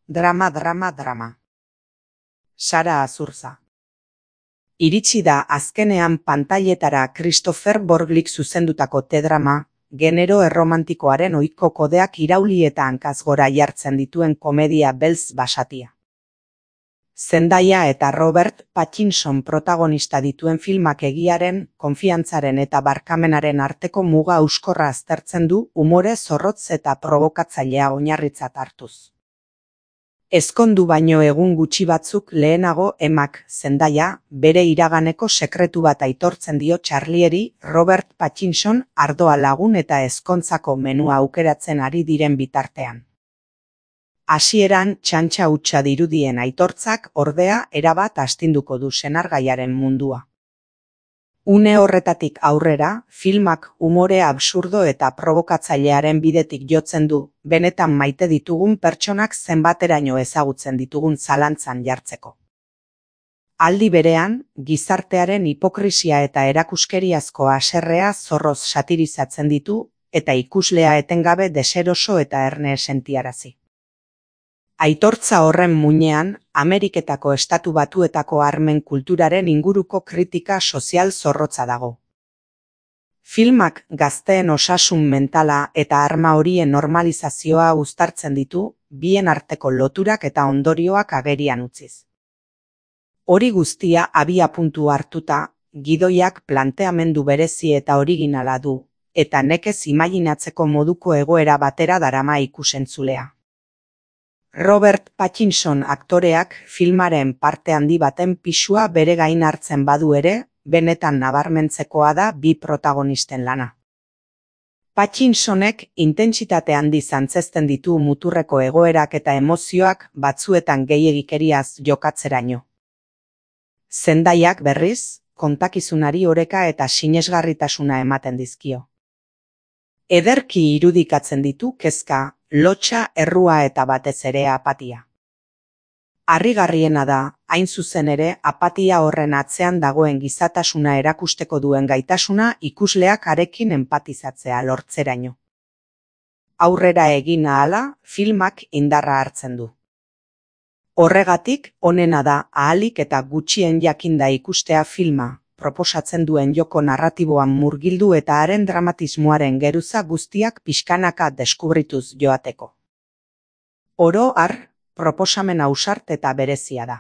Drama, drama, drama. Sara Azurza. Iritsi da azkenean pantailetara Christopher Borglik zuzendutako T-drama, genero erromantikoaren ohiko kodeak irauli eta hankaz gora jartzen dituen komedia beltz basatia. Zendaya eta Robert Pattinson protagonista dituen filmak egiaren, konfiantzaren eta barkamenaren arteko muga hauskorra aztertzen du umore zorrotz eta provokatzailea oinarritzat hartuz. Ezkondu baino egun gutxi batzuk lehenago Emmak, Zendaya, bere iraganeko sekretu bat aitortzen dio Charlieri Robert Pattinson ardoa lagun eta ezkontzako menua aukeratzen ari diren bitartean. Hasieran txantxa hutsa dirudien aitortzak ordea erabat astinduko du senargaiaren mundua. Une horretatik aurrera, filmak umore absurdo eta probokatzailearen bidetik jotzen du, benetan maite ditugun pertsonak zenbateraino ezagutzen ditugun zalantzan jartzeko. Aldi berean, gizartearen hipokrisia eta erakuskeriazko haserrea zorroz satirizatzen ditu, eta ikuslea etengabe deseroso eta erne sentiarazi. Aitortza horren muinean, Ameriketako Estatu Batuetako armen kulturaren inguruko kritika sozial zorrotza dago. Filmak gazteen osasun mentala eta arma horien normalizazioa uztartzen ditu, bien arteko loturak eta ondorioak agerian utziz. Hori guztia abiapuntu hartuta, gidoiak planteamendu berezi eta originala du, eta nekez imaginatzeko moduko egoera batera darama ikusentzulea. Robert Pattinson aktoreak filmaren parte handi baten pisua bere gain hartzen badu ere, benetan nabarmentzekoa da bi protagonisten lana. Pattinsonek intentsitate handiz antzezten ditu muturreko egoerak eta emozioak batzuetan gehiegikeriaz jokatzeraino. Zendayak berriz, kontakizunari oreka eta sinesgarritasuna ematen dizkio. Ederki irudikatzen ditu kezka, lotsa, errua eta batez ere apatia. Harrigarriena da, hain zuzen ere, apatia horren atzean dagoen gizatasuna erakusteko duen gaitasuna ikusleak harekin enpatizatzea lortzeraino. Aurrera egin ahala, filmak indarra hartzen du. Horregatik, onena da ahalik eta gutxien jakinda ikustea filma, proposatzen duen joko narratiboan murgildu eta haren dramatismoaren geruza guztiak pixkanaka deskubrituz joateko. Oro har, proposamen ausart eta berezia da.